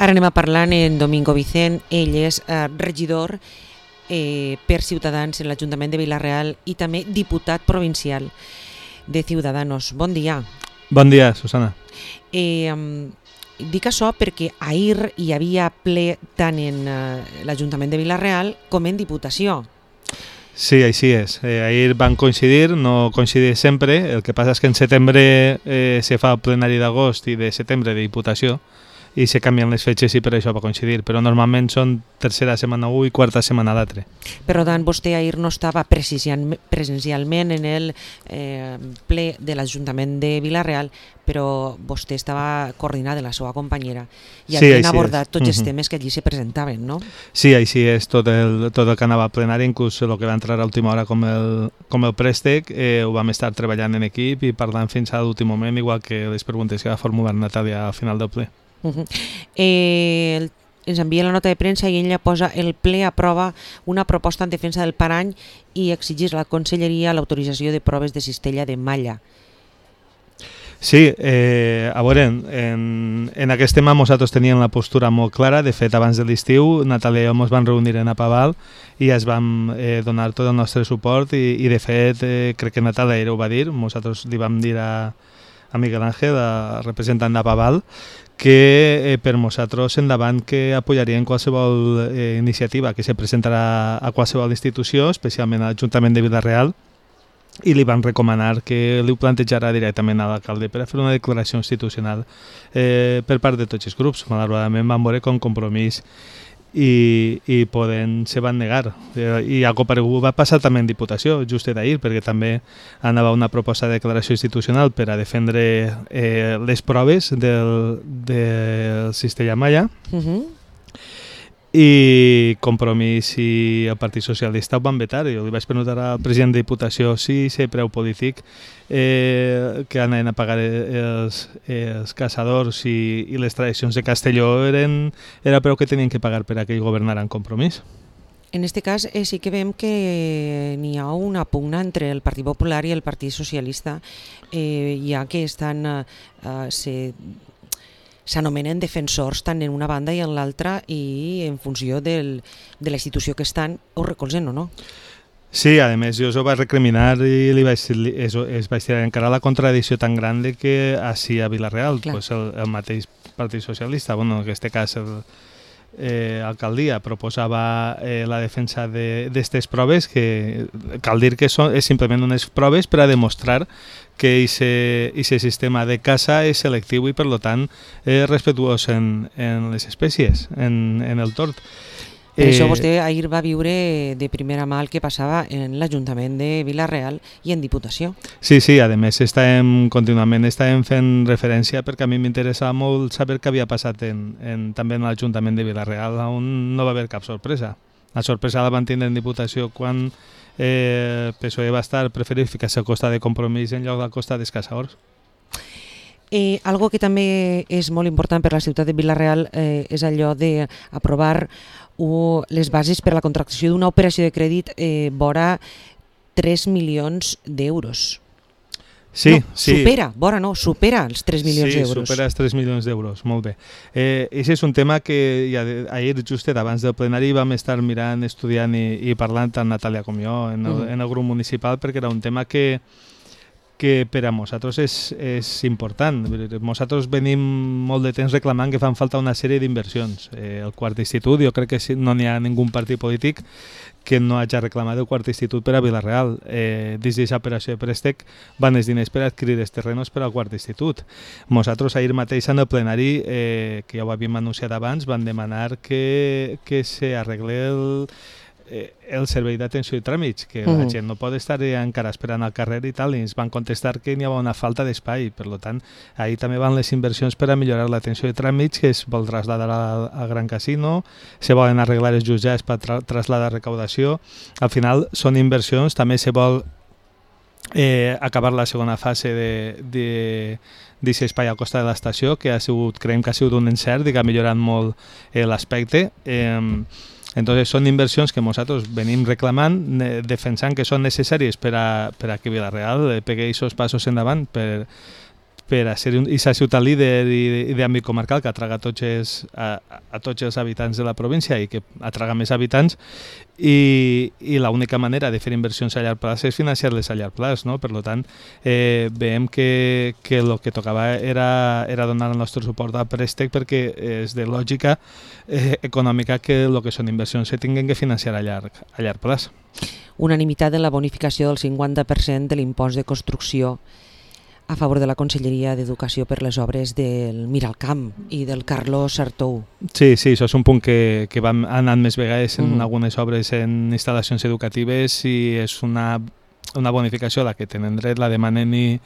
Ara anem a parlar en Domingo Vicent. Ell és regidor per Ciutadans en l'Ajuntament de Vila-real i també diputat provincial de Ciudadanos. Bon dia. Bon dia, Susana. Dic això perquè ahir hi havia ple tant en l'Ajuntament de Vila-real com en Diputació. Sí, així és. Ahir van coincidir, no coincidir sempre. El que passa és que en setembre se fa el plenari d'agost i de setembre de Diputació i se canvien les fetges i per això va coincidir, però normalment són tercera setmana un i quarta setmana l'altre. Per tant, vostè ahir no estava presencialment en el ple de l'Ajuntament de Vila-real, però vostè estava coordinat de la seva companyera i havien abordat tots els temes que allí se presentaven, no? Sí, així és, tot el que anava al plenari, inclús el que va entrar a última hora com el préstec, ho vam estar treballant en equip i parlant fins a l'últim moment, igual que les preguntes que va formular Natàlia al final del ple. Ens envia la nota de premsa i ella posa: el ple aprova una proposta en defensa del parany i exigeix a la Conselleria l'autorització de proves de cistella de malla. Sí, a veure, en aquest tema nosaltres teníem la postura molt clara. De fet, abans de l'estiu, Natàlia i jo ens vam reunir en Apaval i es vam donar tot el nostre suport i de fet, crec que Natàlia ho va dir, nosaltres li vam dir a Miguel Ángel, representant d'Apaval, que per nosaltres endavant que apoyarien qualsevol iniciativa que se presentarà a qualsevol institució, especialment a l'Ajuntament de Vila-real, i li van recomanar que li ho plantejarà directament a l'alcalde per a fer una declaració institucional per part de tots els grups. Malauradament van veure com Compromís i Podem se van negar, i algo paregut va passar també en Diputació just d'ahir, perquè també anava una proposta de declaració institucional per a defendre les proves del cistella malla. I Compromís i el Partit Socialista ho van vetar. Jo li vaig preguntar al president de Diputació si ser preu polític que anaven a pagar els caçadors i les tradicions de Castelló era preu que tenien que pagar per a que ell governara en Compromís. En aquest cas sí que veiem que n'hi ha una pugna entre el Partit Popular i el Partit Socialista, ja que s'anomenen defensors tant en una banda i en l'altra i en funció de la institució que estan ho recolzen o no. Sí, a més jo ho vaig recriminar i es vaig tirar encara la contradicció tan gran que així a Vila-real pues el mateix Partit Socialista, en aquest cas l'alcaldia proposava la defensa d'aquestes proves, que cal dir que és simplement unes proves per a demostrar que aquest sistema de caça és selectiu i per tant respetuós en les espècies, en el tort. Per això vostè ahir va viure de primera mà el que passava en l'Ajuntament de Vila-real i en Diputació. Sí, a més contínuament estàvem fent referència perquè a mi m'interessava molt saber què havia passat també en l'Ajuntament de Vila-real, on no va haver cap sorpresa. La sorpresa la van tindre en Diputació quan PSOE va preferir ficar-se al costat de Compromís en lloc del costat dels caçadors. Algo que també és molt important per a la ciutat de Vila-real és allò d'aprovar les bases per a la contractació d'una operació de crèdit vora 3 milions d'euros. Sí. Supera els 3 milions d'euros. Sí, supera els 3 milions d'euros, molt bé. Aquest és un tema que ahir, just abans del plenari, vam estar mirant, estudiant i parlant tant Natàlia com jo en el grup municipal, perquè era un tema que per a nosaltres és important. Nosaltres venim molt de temps reclamant que fan falta una sèrie d'inversions. El quart institut, jo crec que no n'hi ha ningú partit polític que no hagi reclamat el quart institut per a Vila-real. Dins d'aquesta operació de préstec van els diners per adquirir els terrenos per al quart institut. Nosaltres ahir mateix en el plenari, que ja ho havíem anunciat abans, van demanar que s'arregle el servei d'atenció i tràmits, que la gent no pot estar encara esperant al carrer i tal, i ens van contestar que n'hi havia una falta d'espai. Per tant, ahir també van les inversions per a millorar l'atenció de tràmits, que es vol traslladar al Gran Casino, se volen arreglar els jutjats per traslladar recaudació. Al final són inversions, també se vol acabar la segona fase d'aquest espai al costat de l'estació, que creiem que ha sigut un encert i que ha millorat molt l'aspecte. Entonces són inversions que nosaltres venim reclamant, defensant que són necessàries per a que Vila-real pegui aquests passos endavant per a ser aquesta ciutat líder i d'àmbit comarcal que atraga a tots els habitants de la província i que atraga més habitants, i l'única manera de fer inversions a llarg plaç és financiar-les a llarg plaç, no? Per tant, veiem que el que tocava era donar el nostre suport al préstec, perquè és de lògica econòmica que el que són inversions se tinguin que financiar a llarg plaç. Unanimitat en la bonificació del 50% de l'impost de construcció a favor de la Conselleria d'Educació per les obres del Miralcamp i del Carlos Sartou. Sí, això és un punt que vam anant més vegades en algunes obres en instal·lacions educatives, i és una bonificació a la que tenen dret, la demanen i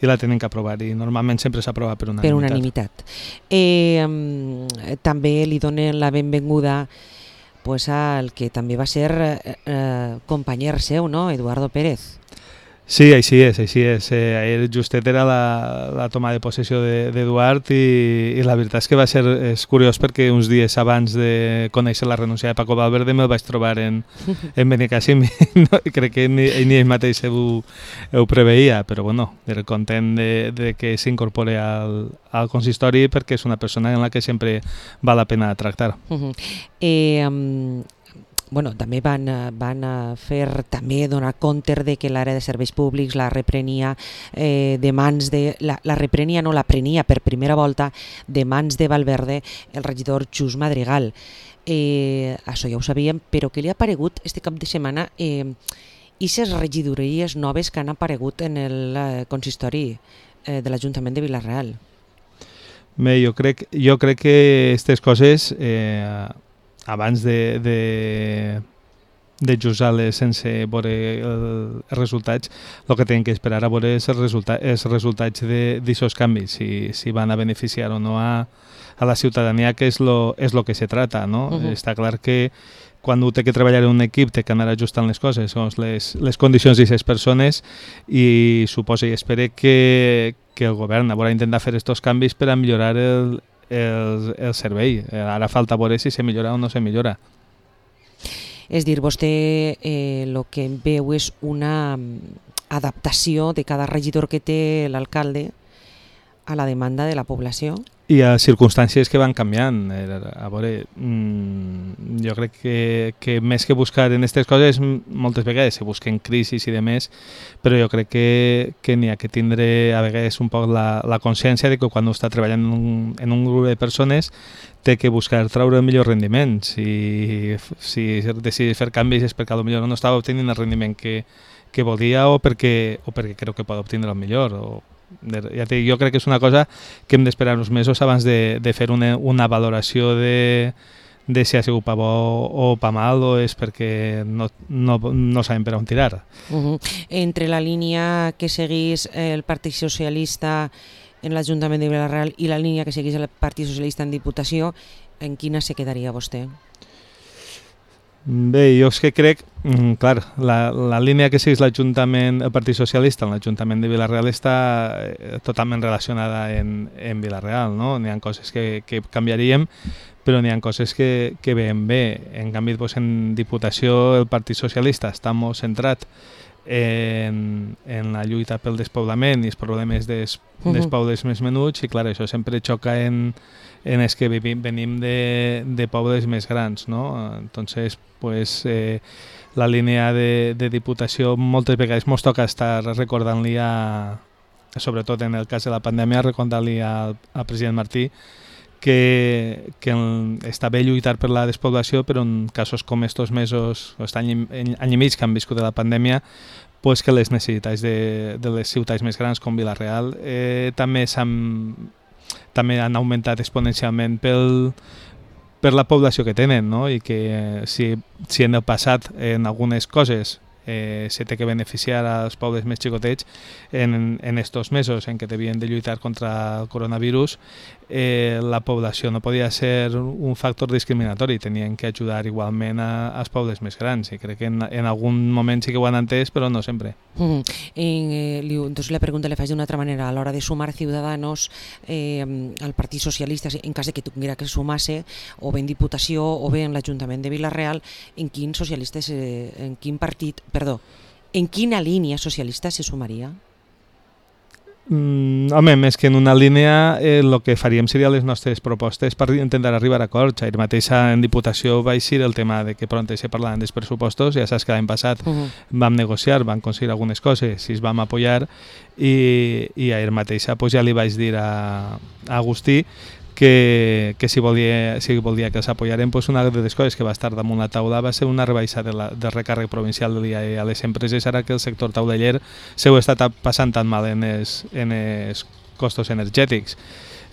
la tenen que aprovar, i normalment sempre s'aprova per unanimitat. També li donen la benvinguda al que també va ser companyer seu, no? Eduardo Pérez. Sí, així és. Ahir justet era la toma de possessió d'Eduard, i la veritat és que és curiós, perquè uns dies abans de conèixer la renúncia de Paco Valverde me'l vaig trobar en Benicàssim, i crec que ni ell mateix ho preveia, però bueno, era content de que s'incorpore al consistori, perquè és una persona en la que sempre val la pena tractar. També van fer donar compte de que l'àrea de serveis públics la reprenia la prenia per primera volta de mans de Valverde el regidor Just Madrigal. Això ja ho sabíem, però què li ha aparegut este cap de setmana i les regidories noves que han aparegut en el consistori de l'Ajuntament de Vila-real? Bé, jo crec que aquestes coses abans de jutjar-les sense veure els resultats, el que tenen que esperar a veure és els resultats d'aquests canvis, si van a beneficiar o no a la ciutadania, que és el que se trata, no? Està clar que quan un té que treballar en un equip té que anar ajustant les coses, segons les condicions d'aquestes persones, i suposa i espera que el govern haurà d'intentar fer aquests canvis per a millorar el servei. Ara falta veure si se millora o no se millora. És dir, vostè el que veu és una adaptació de cada regidor que té l'alcalde a la demanda de la població? I a circumstàncies que van canviant. A veure, jo crec que més que buscar en aquestes coses, moltes vegades se busquen crisis i demés, però jo crec que n'hi ha que tindre a vegades un poc la consciència de que quan està treballant en un grup de persones té que buscar treure el millor rendiment. Si decideix fer canvis és perquè potser no estava obtenint el rendiment que volia, o perquè creu que pot obtenir el millor. Jo crec que és una cosa que hem d'esperar uns mesos abans de fer una valoració de si ha sigut pa bo o pa mal, o és perquè no sabem per on tirar. Entre la línia que seguís el Partit Socialista en l'Ajuntament de Vila-real i la línia que seguís el Partit Socialista en Diputació, en quina se quedaria vostè? Bé, jo és que crec, clar, la línia que segueix l'Ajuntament, el Partit Socialista en l'Ajuntament de Vila-real està totalment relacionada en Vila-real, no? N'hi ha coses que canviaríem, però n'hi ha coses que veiem bé. En canvi, en Diputació el Partit Socialista està molt centrat en la lluita pel despoblament i els problemes dels pobles més menuts, i clar, això sempre xoca en els que venim de pobles més grans, no? Entonces, pues, la línia de Diputació moltes vegades ens toca estar recordant-li, sobretot en el cas de la pandèmia, recordant-li al president Martí que està bé lluitar per la despoblació, però en casos com estos mesos, aquest any i mig que han viscut de la pandèmia, pues que les necessitats de les ciutats més grans com Vila-real també han augmentat exponencialment per la població que tenen, no? I que si en el passat en algunes coses se té que beneficiar als pobles més xicotets, en estos mesos en què devien de lluitar contra el coronavirus, la població no podia ser un factor discriminatori, tenien que ajudar igualment als pobles més grans, i crec que en algun moment sí que ho han entès, però no sempre. Entonces la pregunta le faig d'una altra manera. A l'hora de sumar Ciudadanos al Partit Socialista, en cas de que tuviera que sumar-se, o bé en Diputació o bé en l'Ajuntament de Vila-real, en quina línia socialista se sumaria? Home, més que en una línia, el que faríem seria les nostres propostes per intentar arribar a acords. Ahir mateix en Diputació va eixir el tema de que pront se parlaven dels pressupostos, ja saps que l'any passat vam negociar, vam aconseguir algunes coses, si es vam apoyar, i ahir mateix pues, ja li vaig dir a Agustí que si volia que els apoyarem, pues una de les coses que va estar damunt la taula va ser una rebaixa del recàrrec provincial de l'IAE a les empreses, ara que el sector tauleller s'ho està passant tan mal en els costos energètics.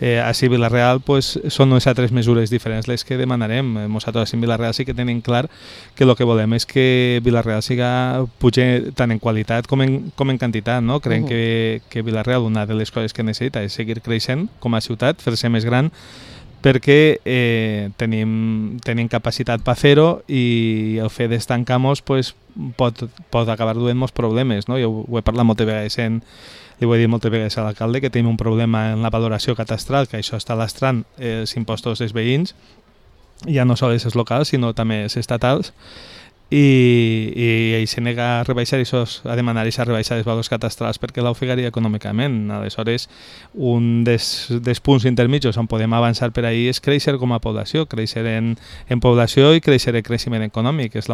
Així a Vila-real pues, són unes altres mesures diferents les que demanarem. Nosaltres en Vila-real sí que tenim clar que el que volem és que Vila-real pugi tant en qualitat com en quantitat. No? Creiem que Vila-real una de les coses que necessita és seguir creixent com a ciutat, fer-se més gran, perquè tenim capacitat per fer-ho i el fet d'estancar-nos pues, pot acabar duent-nos problemes. No? Jo ho he parlat moltes vegades li ho he dit moltes vegades a l'alcalde, que tenim un problema en la valoració catastral, que això està lastrant els impostos dels veïns, ja no sols els locals, sinó també els estatals, i ell se nega a rebaixar a demanar aquesta rebaixa dels valors catastrals perquè l'ofegaria econòmicament. Aleshores, un dels punts intermitjos on podem avançar per ahir és créixer com a població, créixer en població i créixer en creixement econòmic. És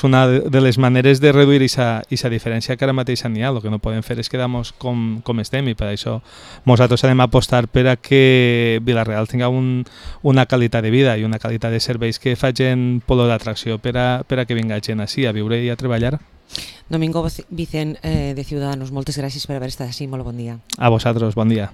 una de les maneres de reduir aquesta diferència que ara mateix n'hi ha. El que no podem fer és quedar-nos com estem, i per això nosaltres anem a apostar per a que Vila-real tingui una qualitat de vida i una qualitat de serveis que facin polo d'atracció per a que vinga gent així a viure i a treballar. Domingo Vicent, de Ciudadanos, moltes gràcies per haver estat així. Molt bon dia. A vosaltres, bon dia.